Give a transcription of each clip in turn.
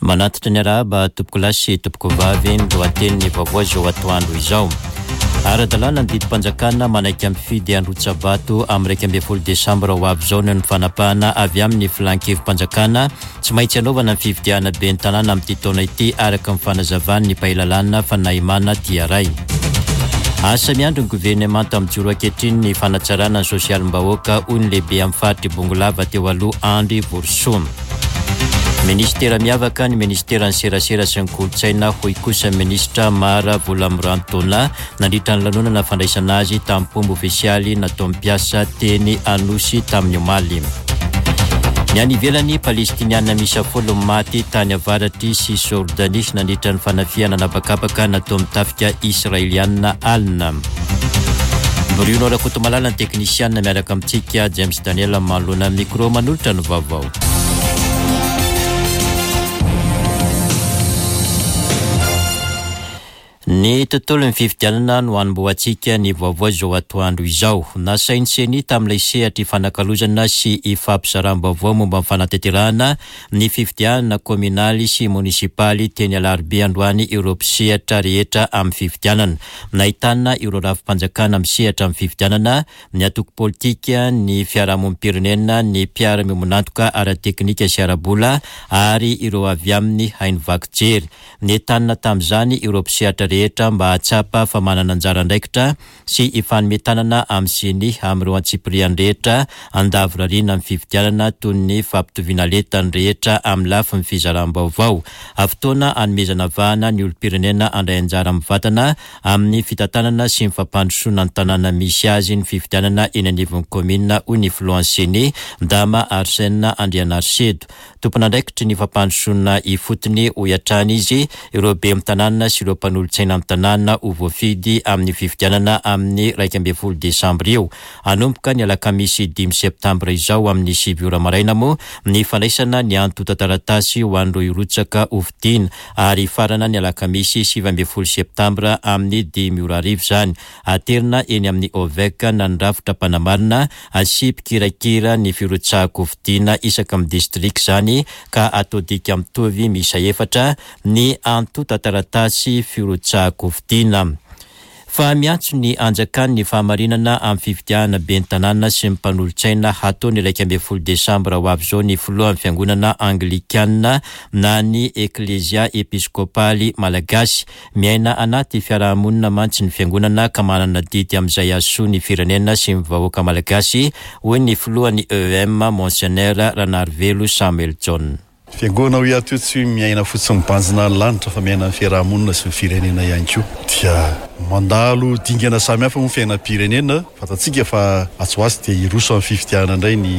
Manatitra ny arahaba tompokolahy sy tompokovavy ny lohatenin'ny vaovao izao atoandro izao. Ara-dalàna ny didim-panjakana manaiky mifidy handrotsa-bato amin'ny 11 desambra ho avy izao noho ny fanapahana avy amin'ny filan-kevi-panjakana tsy maintsy hanaovana ny fifidianana ben'ny tanàna amin'ity taona ity araka ny fanazavan'ny mpahay lalàna Fanahimana Tiaray. Asa miandry ny governemanta mijoro ankehitriny ny fanatsarana ny sosialim-bahoaka hoy ny lehibe amin'ny faritr'i Bongolava teo aloha Andry Vorisoa. Minisitera miavaka ny minisiteran'ny serasera sy ny kolontsaina hoy kosa ny minisitra Mara Volamiranto Donna nandritra ny lanonana fandraisana azy tamin'ny-pomba ofisialy nataon'ny mpiasa teny Anosy tamin'ny omaly. Ny any ivelany, Palestiniana miisa 10 maty tany avaratr'i Cisjordanie nandritra ny fanafihana an'habakabaka nataon'ny tafika Israeliana alina. Bruno Rakotomalala ny teknisiana miaraka amintsika, James Daniel manoloana ny micro manolotra ny vaovao. Ny tontolon'ny fifidianana no hanombohantsika ny vaovao izao atoandro izao. Nasain'ny Ceni tamin'ilay sehatra ifanakalozana sy ifampizaram-baovao momba ny fanatanterahana ny fifidianana kaominaly sy monisipaly teny Alarobia androany ireo mpisehatra rehetra amin'ny fifidianana. Nahitana ireo rafi-panjakana misehatra amin'ny fifidianana, ny antoko politika, ny fiarahamonim-pirenena, ny mpiara-miombon'antoka ara-teknika sy ara-bola ary ireo avy amin'ny haino vaky jery. Nentanina tamin'izany ireo mpisehatra rehetra mba hahatsapa fa manana anjara andraikitra sy hifanome tanana amin'ny Ceni amin'ireo antsipiriany rehetra handavorariana amin'ny fifidianana toy ny fampitoviana lenta ny rehetra amin'ny lafiny fizaram-baovao. Fotoana hanomezana vahana ny olom-pirenena handray anjara mivantana amin'ny fitantanana sy ny fampandrosoana ny tanàna misy azy ny fifidianana eny anivon'ny kaominina hoy ny filohan'ny Ceni, Dama Arsène Andrianarisedo. Tompon'andraikitry ny fampandrosoana ifotony, hoy hatrany izy, ireo ben'ny tanàna sy ireo mpanolotsaina ny tanàna ho voafidy amin'ny fifidianana amin'ny 11 desambra io. Hanomboka ny alakamisy dimy septambra izao amin'ny sivy ora maraina moa ny fandraisana ny antontan-taratasy ho an'ireo hirotsaka hofidiana ary hifarana ny alakamisy 19 septambra amin'ny dimy ora hariva izany. Aterina eny amin'ny OVEC na ny rafitra mpanamarina sy mpikirakira ny firotsahan-kofidina isaka amin'ny distrika izany ka atao dika mitovy miisa efatra ny antontan-taratasy firotsahan-kofidina. Fa miantso ny hanjakan'ny fahamarinana amin'ny fifidianana ben'ny tanàna sy ny mpanolotsaina hatao ny 11 desambra ho avy izao ny filohan'ny fiangonana anglikana na ny Eklesia Episkopaly Malagasy. Miaina anaty fiarahamonina mantsy ny fiangonana ka manana adidy amin'izay hahasoa ny firenena sy ny vahoaka malagasy, hoy ny filohan'ny EEM, Monseigneur Ranarivelo Samuel Jaona. Fiangonana hoy aho teo tsy hoe miaina fotsiny mibanjina ny lanitra fa miaina ny fiarahamonina sy ny firenena ihany koa. Dia mandalo dingana samihafa moa ny fiainam-pirenena. Fantatsika fa atsy ho atsy dia hiroso amin'ny fifidianana indray ny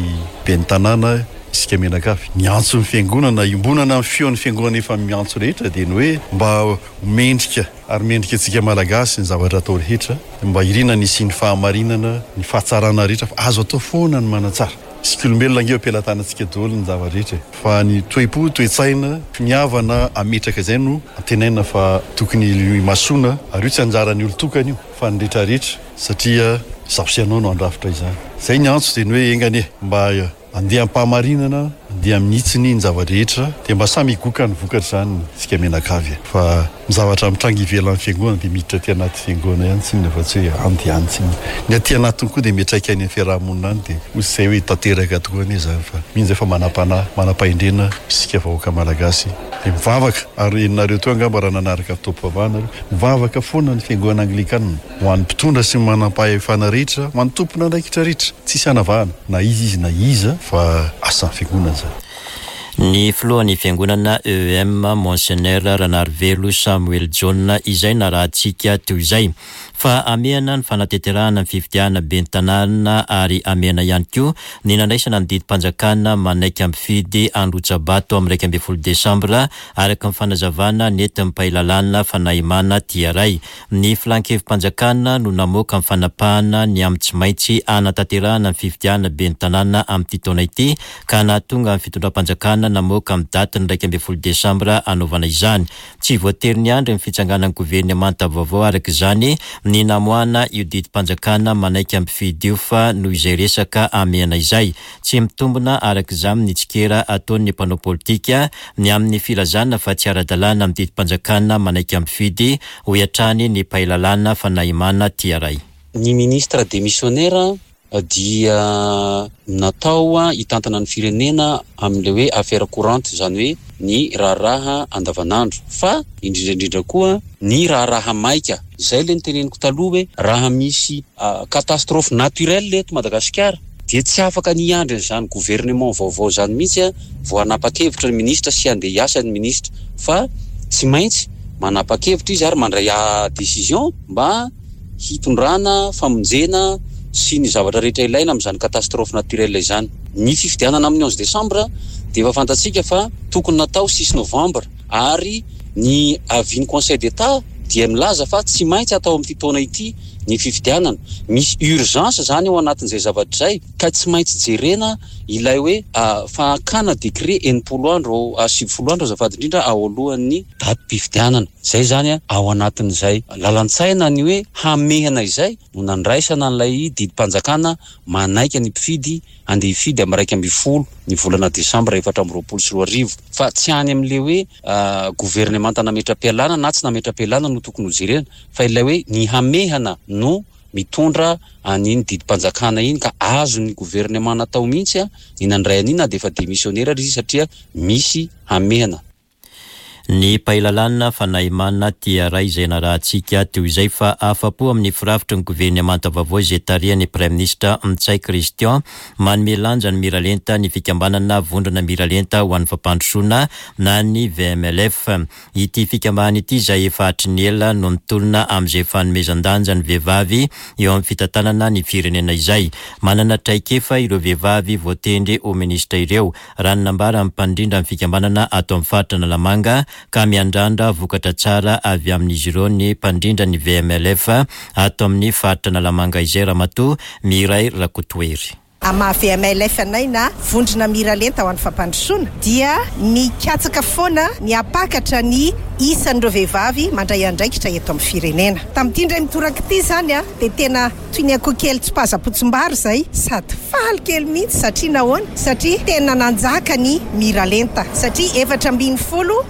ben'ny tanàna isika mianakavy. Ny antson'ny fiangonana, iombonana amin'ny feon'ny fiangonana efa miantso rehetra dia ny hoe mba ho mendrika ary mendrika antsika Malagasy ny zavatra atao rehetra, mba irina ny hisian'ny fahamarinana, ny fahatsarana rehetra fa azo atao foana ny manatsara. Isika olombelona ange eo am-pelatanantsika daholo ny zava-drehetra e! Fa ny toe-po, toe-tsaina, finiavana hametraka izay no antenaina fa tokony himasoana ary io tsy anjaran'ny olon-tokana io fa ny rehetrarehetra satria izaho sy ianao no handrafitra izany. Izay ny antso dia ny hoe enga anie mba Andeha am-pahamarinana, andeha amin'ny hitsiny ny zava-drehetra, dia mba samy higoka ny vokatr'izany isika mianakavy e! Fa ny zavatra mitranga ivelan'ny fiangonana dia miditra aty anaty fiangonana ihany tsinona fa tsy hoe any dia any tsinona. Ny aty anatiny koa dia miantraika any amin'ny fiaraha-monina any dia hoy izay hoe tanteraka tokoa anie izany fa mino izay fa manam-panahy, manam-pahendrena isika vahoaka malagasy dia mivavaka ary henonareo teo angamba raha nanaraka fotoam-pivavahana nareo, mivavaka foana ny fiangonana anglikana. Ho an'ny mpitondra sy ny manampahefana rehetra, ho an'ny tompon'andraikitra rehetra, tsisy hanavahana na iza izy na iza fa asan'ny fiangonana izany. Ny filohan'ny fiangonana EEM, Monseigneur Ranarivelo Samuel Jaona izay narahantsika teo izay. Fa hamehana ny fanatanterahana ny fifidianana ben'ny tanàna ary hamehana ihany koa ny nandraisana ny didim-panjakana manaiky hampifidy handrotsa-bato amin'ny 11 desambra araka ny fanazavana nentin'ny mpahay lalàna Fanahimana Tiaray. Ny Filan-kevi-panjakana no namoaka ny fanapahana ny amin'ny tsy maintsy hanatanterahana ny fifidianana ben'ny tanàna amin'ity taona ity ka nahatonga ny fitondram-panjakana namoaka amin'ny datin'ny 11 desambra hanaovana izany. Tsy voatery niandry ny fitsanganan'ny governemanta vaovao araka izany ny namoahana io didim-panjakana manaika mpifidy io fa noho izay resaka hamehana izay. Tsy mitombina araka izany ny tsikera ataon'ny mpanao politika ny amin'ny filazana fa tsy ara-dalàna amin'ny didim-panjakana manaika mpifidy, hoy hatrany ny mpahay lalàna Fanahimana Tiaray. Ny ministre demissionnaire dia natao hitantana ny firenena amin'ilay hoe affaire courante, izany hoe ny raharaha andavanandro, fa indrindra indrindra koa ny raharaha maika. Izay ilay noteneniko taloha hoe raha misy catastrophe naturelle eto Madagasikara dia tsy afaka ny hiandry an'izany gouvernement vaovao izany mihitsy vao hanapa-kevitra ny ministra sy handeha hiasa ny ministra fa tsy maintsy manapa-kevitra izy ary mandray décision mba hitondrana famonjena sy ny zavatra rehetra ilaina amin'izany catastrophe naturelle izany. Ny fifidianana amin'ny onze décembre dia efa fantatsika fa tokony natao six novembre ary ny avis ny conseil d'Etat dia milaza fa tsy maintsy atao amin'ity taona ity ny fifidianana. Misy urgence izany ao anatin'izay zavatra izay ka tsy maintsy jerena ilay hoe fakana décret 60 andro, 90 andro azafady indrindra ao alohan'ny datim-pifidianana. Izay izany ao anatin'izay lalan-tsaina ny hoe hamehana izay no nandraisana an'ilay didim-panjakana manaika ny mpifidy handeha hifidy amin'ny 11 ny volana desambra 2024 fa tsy any amin'ilay hoe governemanta nametra-pialana na tsy nametra-pialana no tokony hojerena fa ilay hoe ny hamehana no mitondra an'iny didim-panjakana iny ka azon'ny governemanta natao mihitsy ny nandray an'iny na dia efa demissionnaire ary izy satria misy hamehana. Ny mpahay lalàna Fanahimana Tiaray izay narahantsika teo izay fa afa-po amin'ny firafitry ny governemanta vaovao izay tarihan'ny Praiminisitra Ntsay Christian. Manome lanja ny miralenta ny fikambanana Vondrona Miralenta ho an'ny Fampandrosoana na ny VMLF. Ity fikambanana ity izay efa hatry ny ela no nitolona amin'izay fanomezan-danja ny vehivavy eo amin'ny fitantanana ny firenena izay. Manana traikefa ireo vehivavy voatendry ho minisitra ireo raha ny nambaran'ny mpandrindra ny fikambanana ato amin'ny faritra Analamanga ka miandrandra vokatra tsara avy amin'izy ireo ny mpandrindra ny VMLF ato amin'ny faritra Analamanga izay Ramatoa Miray Rakotohery. Amin'ny maha VMLF anay na Vondrona Miralenta ho an'ny Fampandrosoana dia mikatsaka foana ny hampakatra ny isan'ireo vehivavy mandray andraikitra eto amin'ny firenena. Tamin'ity indray mitoraka ity izany dia tena Toy ny akoho kely tsipazam-potsim-bary izay, sady faly kely mihitsy satria nahoana? Satria tena nanjaka ny miralenta, satria 14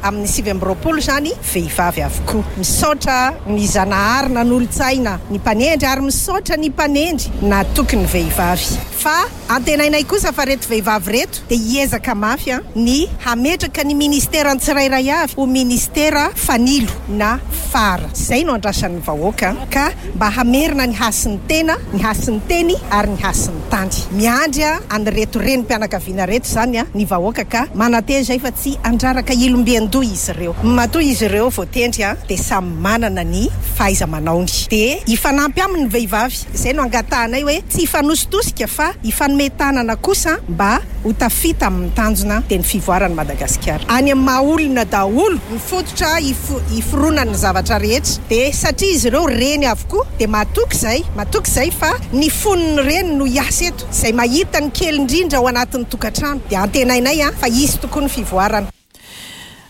amin'ny 29 izany vehivavy avokoa. Misaotra ny Zanahary nanolo-tsaina ny mpanendry ary misaotra ny mpanendry natoky ny vehivavy. Fa antenainay kosa fa reto vehivavy reto dia hiezaka mafy ny hametraka ny ministeran'ny tsirairay avy ho ministera fanilo na phare. Izay no andrasan'ny vahoaka ka mba hamerina ny hasin'ny tena, ny hasin'ny teny ary ny hasin'ny tany. Miandry an'ireto renim-pianakaviana ireto izany ny vahoaka ka manantena izay fa tsy handraraka ilom-bian-doha izy ireo. Matoa izy ireo voatendry dia samy manana ny fahaiza-manaony. Dia hifanampy aminy ny vehivavy. Izay no angatahanay hoe tsy hifanositosika fa hifanome tanana kosa mba ho tafita amin'ny tanjona dia ny fivoaran'i Madagasikara. Any amin'ny maha olona daholo ny fototra hiforonan'ny zavatra rehetra dia satria izy ireo reny avokoa dia matoky izay, matoky izay fa ny fon'ny reny no hiasa eto, izay mahita ny kely indrindra ao anatin'ny tokantrano dia antenainay fa hisy tokoa ny fivoarana.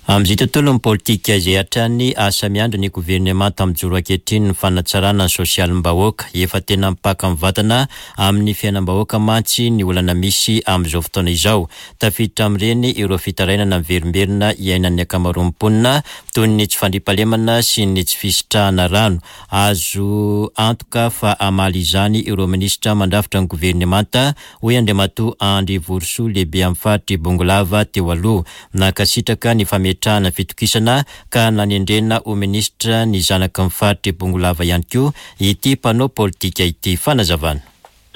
Amin'izay tontolon'ny politika izay hatrany, asa miandry ny governemanta mijoro ankehitriny ny fanatsarana ny sosialim-bahoaka. Efa tena mipaka mivantana amin'ny fiainam-bahoaka mantsy ny olana misy amin'izao fotoana izao. Tafiditra amin'ireny ireo fitarainana miverimberina iainan'ny ankamaroan'ny mponina toy ny tsy fandriampahalemana sy ny tsy fisitrahana rano. Azo antoka fa hamaly izany ireo minisitra mandrafitra ny governemanta hoy Andriamatoa Andry Vorisoa lehibe amin'ny faritr'i Bongolava teo aloha. Nankasitraka ny fametrahana fitokisana ka nanendrena ho minisitra ny zanaky ny faritr'i Bongolava ihany koa ity mpanao politika ity. Fanazavana.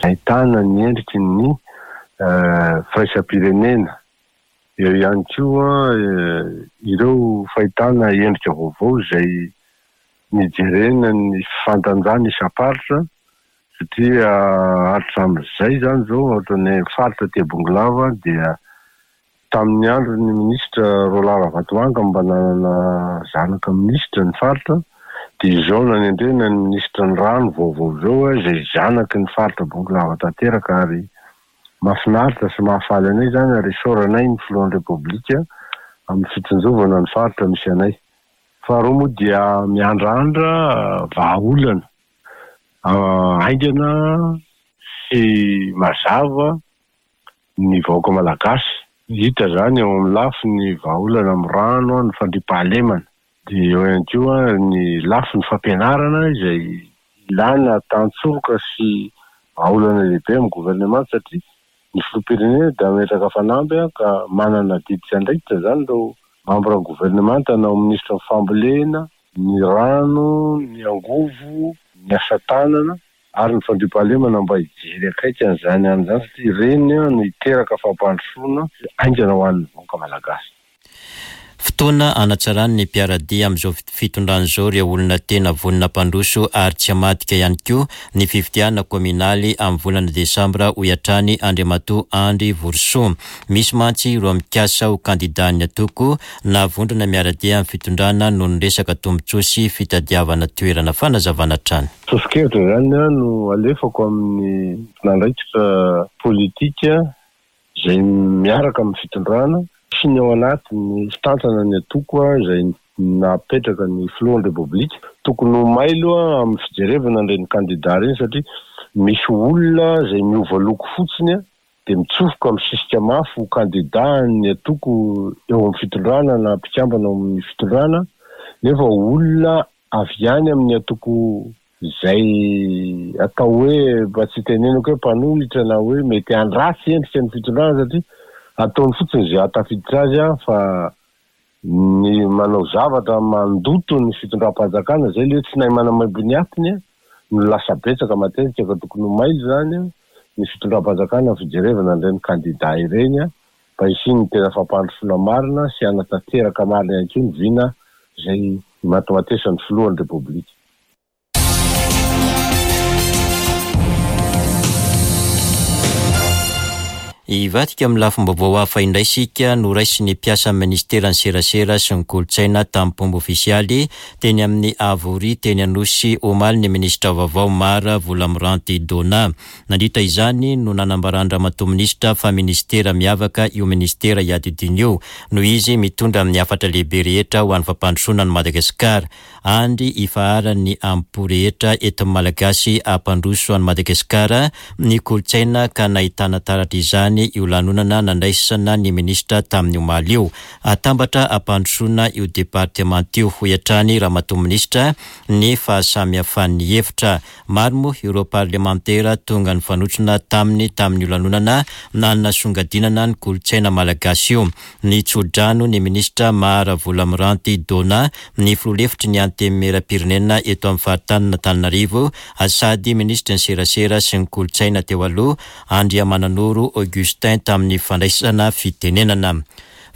Ahitana ny endriky ny firaisam-pirenena. Eo ihany koa ireo fahitana endrika vaovao izay nijerena ny fifandanjana isam-paritra Satria hatramin'izay izany izao ohatran'ny faritra aty Bongolava dia tamin'ny andron'ny minisitra Roland Ravatomanga mba nanana zanaka minisitra ny faritra dia izao nanendrena ny minisitra ny rano vaovao izao izay zanaky ny faritra Bongolava tanteraka ary. Mahafinaritra sy mahafaly anay izany ary isaoranay ny Filohan'ny Repoblika amin'ny fitsinjovana ny faritra misy anay. Faharoa moa dia miandrandra vahaolana haingana sy mazava ny vahoaka malagasy. Hita izany eo amin'ny lafiny vahaolana amin'ny rano, ny fandriampahalemana. Dia eo ihany koa ny lafiny fampianarana izay ilana tantsoroka sy vahaolana lehibe amin'ny governemanta satria ny filoham-pirenena dia hametraka fanamby ka manana adidy sy andraikitra izany ireo mambran'ny governemanta na ho minisitry ny fambolena, ny rano, ny angovo, ny asa tanana ary ny fandriampahalemana mba hijery akaiky an'izany any izany satria ireny no hiteraka fampandrosoana haingana ho an'ny vahoaka malagasy. Fotoana hanatsarany ny mpiara-dia amin'izao fitondrana izao ireo olona tena vonona hampandroso ary tsy hamadika ihany koa ny fifidianana kaominaly amin'ny volana desambra hoy hatrany Andriamatoa Andry Vorisoa. Misy mantsy ireo mikasa ho kandidan'ny antoko na vondrona miara-dia amin'ny fitondrana noho ny resaka tombontsoa sy fitadiavana toerana. Fanazavana hatrany. Soso-kevitra izany no alefako amin'ny tompon'andraikitra politika izay miaraka amin'ny fitondrana sy ny ao anatin'ny fitantana ny antoko izay napetraka ny filohan'ny Repoblika. Tokony ho mailo amin'ny fijerevana an'ireny kandida ireny satria misy olona izay miova loko fotsiny dia mitsofoka misisika mafy ho kandida an'ny antoko eo amin'ny fitondrana na mpikambana ao amin'ny fitondrana nefa olona avy any amin'ny antoko izay atao hoe mba tsy hitenenako hoe mpanohitra na hoe mety handratsy endrika ny fitondrana satria ataony fotsiny izay hahatafiditra azy fa ny manao zavatra mandoto ny fitondram-panjakana izay ilay hoe tsy nahay manamaimbo ny atiny no lasa betsaka matetika ka tokony ho mailo izany ny fitondram-panjakana amin'ny fijerevana an'ireny kandida ireny mba hisian'ny tena fampandrosoana marina sy hanatanteraka marina ihany koa ny vina izay imatimatesan'ny filohan'ny Repoblika. Hivadika amin'ny lafim-baovao hafa indray isika, noraisin'ny mpiasan'ny minisiteran'ny serasera sy ny kolontsaina tamim-pomba ofisialy teny amin'ny Havoria teny Anosy omaly ny minisitra vaovao Mara Volamiranty Donna. Nandritra izany no nanambaran-dRamatoa Minisitra fa minisitera miavaka io minisitera iadidiany io noho izy mitondra amin'ny hafatra lehibe rehetra ho an'ny fampandrosoana an'i Madagasikara. Andry ifaharan'ny amim-po rehetra entin'ny Malagasy hampandroso an'i Madagasikara ny kolontsaina ka nahitana taratra izany io lanonana nandraisana ny minisitra tamin'ny omaly io. Atambatra hampandrosoana io departemanta io, hoy hatrany Ramatoa Minisitra, ny fahasamihafan'ny hevitra. Maro moa ireo parlemantera tonga nifanotrona taminy tamin'io lanonana nanasongadinana ny kolontsaina malagasy io. Nitso-drano ny minisitra Mara Volamiranty Donna, ny filoha lefitry ny Antenimierampirenena eto amin'ny faritanin'Antananarivo sady minisitry ny serasera sy ny kolontsaina teo aloha, Andriamananoro Augustin tamin'ny fandraisana fitenenana.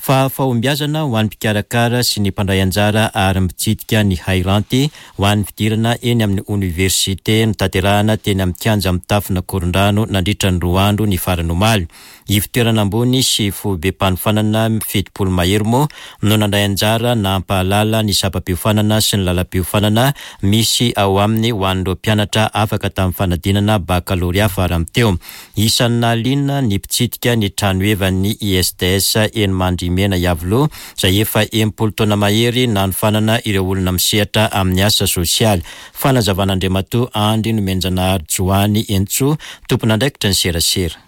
Fa fahombiazana ho an'ny mpikarakara sy ny mpandray anjara ary mpitsidika ny hairanty ho an'ny fidirana eny amin'ny oniversite notanterahana teny amin'ny kianja mitafon'Ankorondrano nandritra ny roa andro ny farany omaly. Ivotoerana ambony sy foibem-panofanana 70 mahery moa no nandray anjara nampahalala ny sampam-piofanana sy ny lalam-piofanana misy ao aminy ho an'ireo mpianatra afaka tamin'ny fanadinana bakalorea farany teo. Isan'ny nahaliana ny mpitsidika ny tranohevan'ny ISTS eny Mandrimena Iavoloha izay efa 60 taona mahery nanofanana ireo olona misehatra amin'ny asa sosialy. Fanazavan'Andriamatoa Andry Nomenjanahary Joany Entsoa, tompon'andraikitra ny serasera.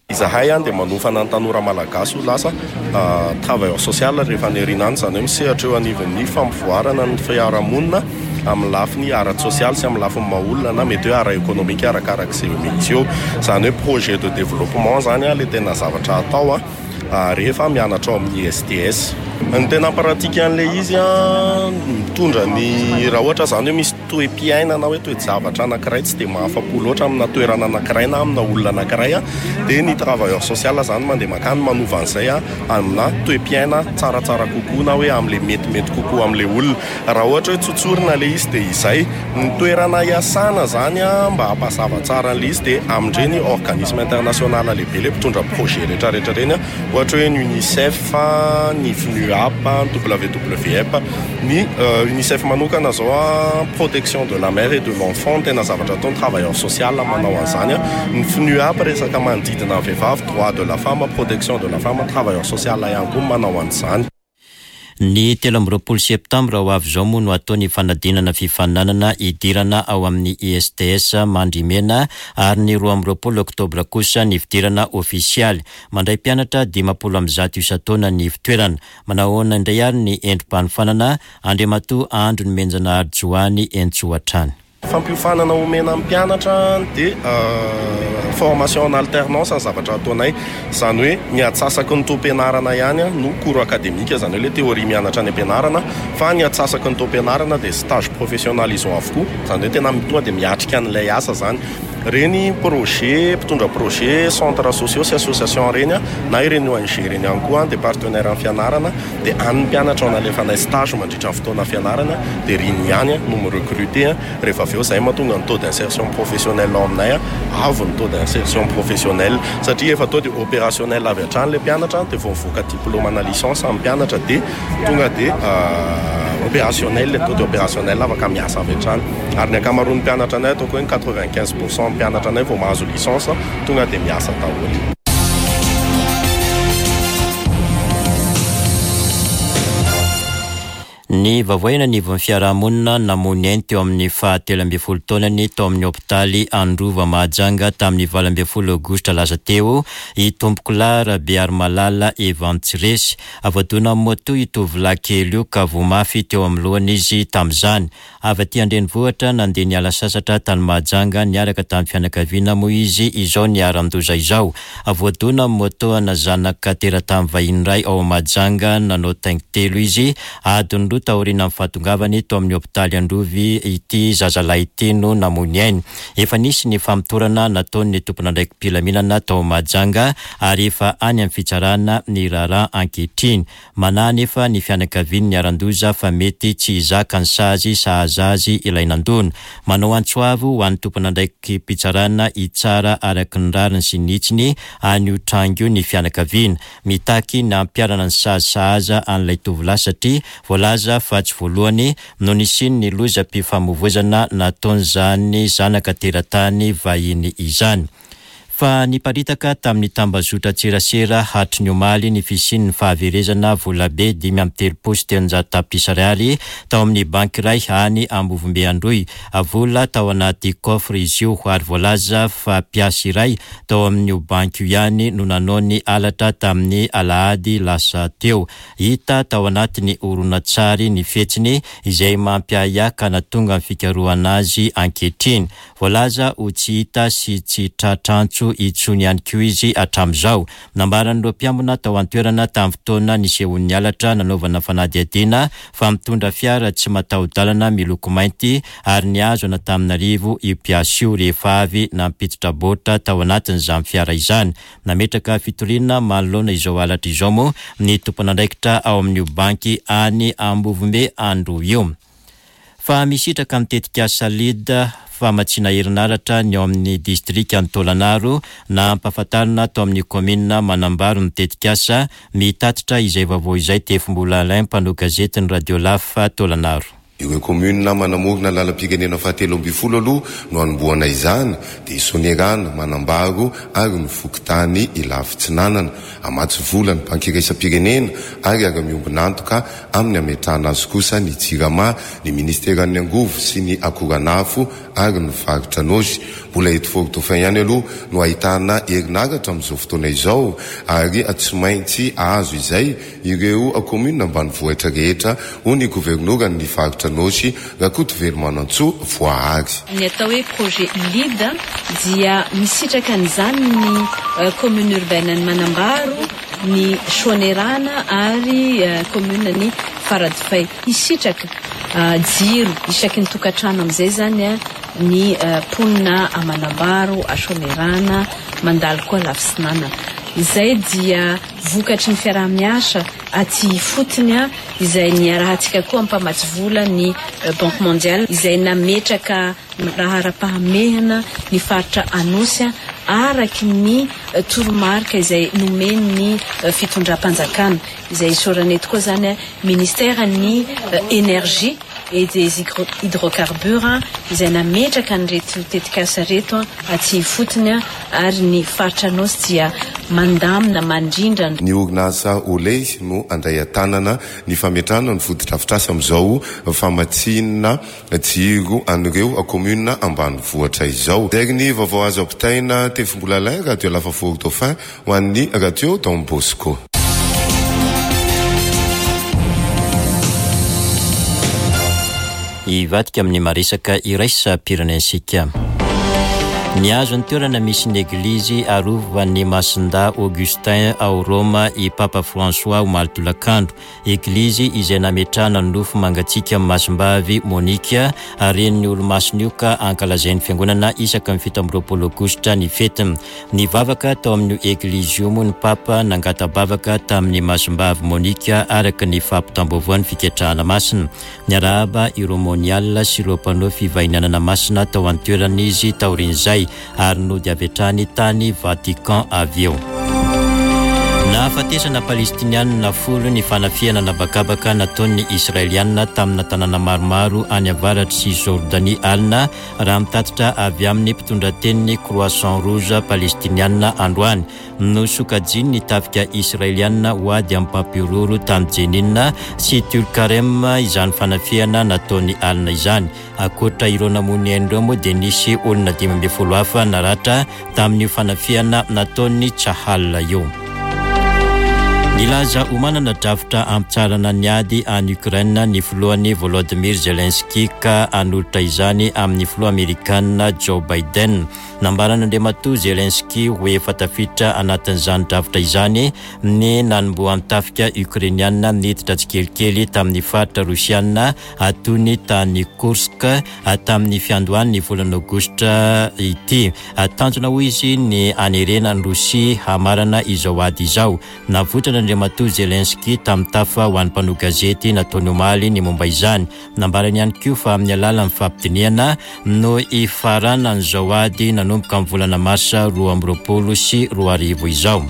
Izahay dia manofana ny tanora malagasy ho lasa travailleur social rehefa any aoriana any, izany hoe misehatra eo anivon'ny fampivoarana ny fiarahamonina amin'ny lafiny ara-tsosialy sy amin'ny lafiny maha olona na mety hoe ara-ekonomika arakarak'izay mety eo. Izany hoe projet de développement izany ilay tena zavatra atao rehefa mianatra ao amin'ny ISTS. Ny tena pratique an'ilay izy mitondra ny raha ohatra izany hoe misy toe-piainana na hoe toe-javatra anankiray tsy dia mahafa-po loatra amina toerana anankiray na amina olona anankiray dia ny travailleur social izany mandeha mankany manova an'izay amina toe-piaina tsaratsara kokoa na hoe amin'ilay metimety kokoa amin'ilay olona. Raha ohatra hoe tsotsorina ilay izy dia izay. Ny toerana iasana izany mba hampazava tsara an'ilay izy dia amin'ireny organisme international lehibe ilay mpitondra projet rehetrarehetra ireny, ohatra hoe ny UNICEF, ny FNUAP. FNUAP, ny WWF. Ny Unicef manokana izao protection de la mère et de l'enfant no tena zavatra ataony, travailleur social manao an'izany. Ny FNUAP resaka manodidina ny vehivavy, droit de la femme, protection de la femme, travailleur social ihany koa manao an'izany. Ny 23 septambra ho avy izao moa no hatao ny fanadinana fifaninanana hidirana ao amin'ny ISTS Mandrimena ary ny 22 oktobra kosa ny fidirana ofisialy. Mandray mpianatra 150 isan-taona ny ivon-toerana. Manao ahoana indray ary ny endri-panofanana? Andriamatoa Andry Nomenjanahary Joany Entsoa hatrany. Fampiofanana omena ny mpianatra dia formation en alternance ny zavatra ataonay. Izany hoe ny antsasaky ny taom-pianarana ihany no cours académique, izany hoe ilay théorie mianatra any am-pianarana, fa ny antsasaky ny taom-pianarana dia stage professionnalisant avokoa. Izany hoe tena tonga dia miatrika an'ilay asa izany. Ireny projet, mpitondra projet, centres sociaux sy associations ireny na ireny ONG ireny ihany koa dia partenaire amin'ny fianarana dia any ny mpianatra no alefanay stage mandritra ny fotoana fianarana dia ireny ihany no mi-recruter rehefa avy eo. Izay mahatonga ny taux d'insertion professionnelle ao aminay avo ny taux d'insertion professionnelle satria efa taux de opérationnel avy hatrany ilay mpianatra dia vao mivoaka diplôme na licence ny mpianatra dia tonga dia opérationnel, taux de opérationnel afaka miasa avy hatrany. Ary ny ankamaroan'ny mpianatra anay, ataoko hoe ny 95 pour cent mpianatra anay vao mahazo licence tonga dia miasa daholo. Ny vaovao eny anivon'ny fiarahamonina, namoy ny ainy teo amin'ny faha 13 taonany tao amin'ny hopitaly Androva Mahajanga tamin'ny 18 aogositra lasa teo i Tompokolahy Rabearimalala Evantsiresy. Voadonan'ny moto io tovolahy kely io ka voa mafy teo amin'ny lohany izy tamin'izany. Avy aty an-drenivohitra nandeha niala sasatra tany Mahajanga niaraka tamin'ny fianakaviana moa izy izao niharan-doza izao. Voadona amin'ny moto ana zanaka teratany vahiny iray ao Mahajanga nanao taingin-telo izy. Adiny roa taorianan'ny fahatongavany tao amin'ny hopitaly Androvy ity zazalahy ity no namoy ny ainy. Efa nisy ny famotorana nataon'ny tompon'andraiki-pilaminana tao Mahajanga ary efa any amin'ny fitsarana ny raharaha ankehitriny. Manahy anefa ny fianakavian'ny niharan-doza fa mety tsy hizaka ny sazy sahaza azy ilay nandona. Manao antso avo ho an'ny tompon'andraiki-pitsarana hitsara araka ny rariny sy ny hitsiny an'io tranga io ny fianakaviana. Mitaky ny hampiharana ny sazy sahaza an'ilay tovolahy satria voalaza fa tsy voalohany no nisian'ny lozam-pifamoivoizana nataon'izany zanaka teratany vahiny izany. Fa niparitaka tamin'ny tambazotran-tserasera hatry ny omaly ny fisian'ny fahaverezana volabe 335 tapitrisa ariary tao amin'ny banky iray any Ambovombe Androy. Vola tao anaty coffre izy io ary voalaza fa mpiasa iray tao amin'io banky io ihany no nanao ny halatra tamin'ny alahady lasa teo. Hita tao anatin'ny horonantsary ny fihetsiny izay mampiahiahy ka nahatonga ny fikarohana azy ankehitriny. Voalaza ho tsy hita sy tsy tratra antso intsony ihany koa izy hatramin'izao. Nambaran'ireo mpiambina tao an-toerana tamin'ny fotoana nisehoan'ny halatra nanaovana fanadihadiana fa mitondra fiara tsy mataho-dalana miloko mainty ary nihazo an'Antananarivo io mpiasa io rehefa avy nampiditra baoritra tao anatin'izany fiara izany. Nametraka fitoriana manoloana izao halatra izao moa ny tompon'andraikitra ao amin'io banky any Ambovombe Androy io. Fa misitraka ny tetikasa Lead famatsiana herinaratra ny ao amin'ny distrikan'i Taolagnaro na ampahafantarina ato amin'ny kaominina Manambaro ny tetikasa, mitatitra izay vaovao izay Tefimbola Alain mpanao gazetin'ny Radio Laf Taolagnaro. Ireo kaominina manamorona lalam-pirenena fahatelo ambinifolo aloha no hanombohana izany dia i Soanierana, Manambaro ary ny fokontany Ilafy-Tsinanana. Hamatsy vola ny Banky Iraisam-pirenena ary hiara-miombon'antoka amin'ny hametrahana azy kosa ny Jirama, ny Ministeran'ny Angovo sy ny Akoranafo ary ny Faritra Anôsy. Mbola eto Fort Dauphin ihany aloha no ahitana herinaratra amin'izao fotoana izao ary tsy maintsy hahazo izay ireo kaominina ambanivohitra rehetra, hoy ny governoran'ny Faritra Anôsy, Rakotovelo Manantsoa Voahary. Ny atao hoe projet Lead dia misitraka an'izany ny commune urbaine an'i Manambaro, ny Soanierana ary commune an'i Faradofay. Hisitraka jiro isaky ny tokantrano amin'izay izany ny mponina a Manambaro, a Soanierana, mandalo koa Lafisinanana. Izay dia vokatry ny fiaraha-miasa aty ifotony izay niarahantsika koa mpamatsy vola ny Banque Mondiale izay nametraka laharam-pahamehana ny faritra Anosy. araky ny toromarika izay nomen'ny fitondram-panjakana, izay isaorana eto koa izany Ministeran'ny Energie et des Hydrocarbures izay nametraka an'ireto tetikasa ireto aty ifotony ary ny faritra Anôsy dia mandamina, mandrindra. Ny orinasa Olay no handray an-tanana ny fametrahana ny fotodrafitrasa amin'izao famatsiana jiro an'ireo kaominina ambanivohitra izao. Izay ny vaovao azo ampitaina Tefimbola Alain, Radio Alafa Fort Dauphin ho an'ny Radio Don Bosco. Hivadika amin'ny maresaka iraisam-pirenentsika. Nihazo ny toerana misy ny Eglizy arovan'ny Masindahy Augustin ao Roma i Papa François omaly tolakandro. Eglizy izay nametrahana ny nofo mangatsiaka amin'i Masimbavy Monica, renin'io olomasina io ka ankalazain'ny Fiangonana isaka ny 27 Aogositra ny fetiny. Nivavaka tao amin'io eglizy io moa ny Papa nangata-bavaka tamin'i Masimbavy Monica araka ny fampitam-baovaon'ny Fiketrahana Masina. Niarahaba ireo monial sy ireo mpanao fivahinianana masina tao an-toerana izy taorian'izay ary nody avy hatrany tany Vatican avy eo. Nahafatesana Palestinianina folo ny fanafihana an'habakabaka nataon'ny Israelianina tamina tanàna maromaro any avaratr'i Cisjordanie alina, raha mitatitra avy amin'ny mpitondratenin'ny Croissant Rouge Palestinianina androany. Nosokajian'ny tafika Israeliana ho ady amin'ny mpampihorohoro tany Jenin sy Tulkarem izany fanafihana nataony alina izany. Ankoatra ireo namoy ny ainy ireo moa dia nisy olona 15 hafa naratra tamin'io fanafihana nataon'ny Tsahal io. Nilaza ho manana drafitra hampitsaharana ny ady any Ukraine ny filohany Volodymyr Zelensky ka hanolotra izany amin'ny filoha amerikana Joe Biden. Nambaran'Andriamatoa Zelensky ho efa tafiditra anatin'izany drafitra izany ny nanombohan'ny tafika Ukrainiana niditra tsikelikely tamin'ny faritra Rosiana toy ny tany Kursk tamin'ny fiandohan'ny volana Aogositra ity. Tanjona hoy izy ny hanerena an'i Rosia hamarana izao ady izao. Navoitran'Andriamatoa Zelensky tamin'ny tafa ho an'ny mpanao gazety nataony omaly ny momba izany. Nambarany ihany koa fa amin'ny alalan'ny fampidinihana no hifaranan'izao ady nanomboka amin'ny volana marsa 2022 izao.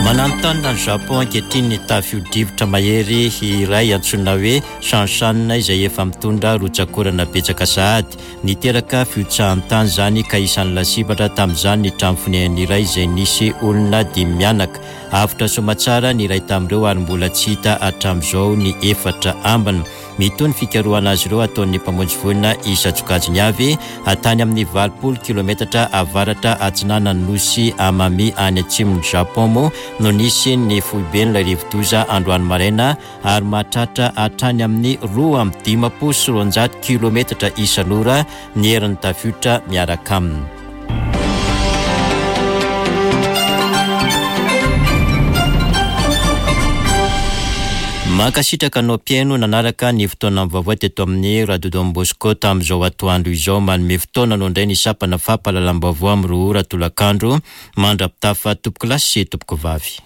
Mananontanona an'i Japon ankehitriny ny tafio-drivotra mahery iray antsoina hoe Shanshan izay efa mitondra rotsak'orana betsaka sahady. Niteraka fihotsahan-tany izany ka isan'ny lasibatra tamin'izany ny trano fonenana iray izay nisy olona dimy mianaka. Avotra soamatsara ny iray tamin'ireo ary mbola tsy hita hatramin'izao ny efatra ambiny. Mitohy ny fikarohana azy ireo ataon'ny mpamonjy voina isan-tsokajiny avy, tany amin'ny 80 kilometatra avaratra atsinanan'ny nosy Amami any atsimon'i Japon moa no nisy ny foiben'ilay rivodoza androany maraina ary mahatratra hatrany amin'ny 252 kilometatra isan'ora ny herin'ny tafiotra miaraka aminy. Mankasitraka anao mpihaino nanaraka ny fotoanan'ny vaovao teto amin'ny Radio Don Bosco tamin'izao atoandro izao. Manome fotoana anao indray ny sampana fampahalalam-baovao amin'ny roa ora tolakandro. Mandra-pitafa tompokolahy sy tompokovavy.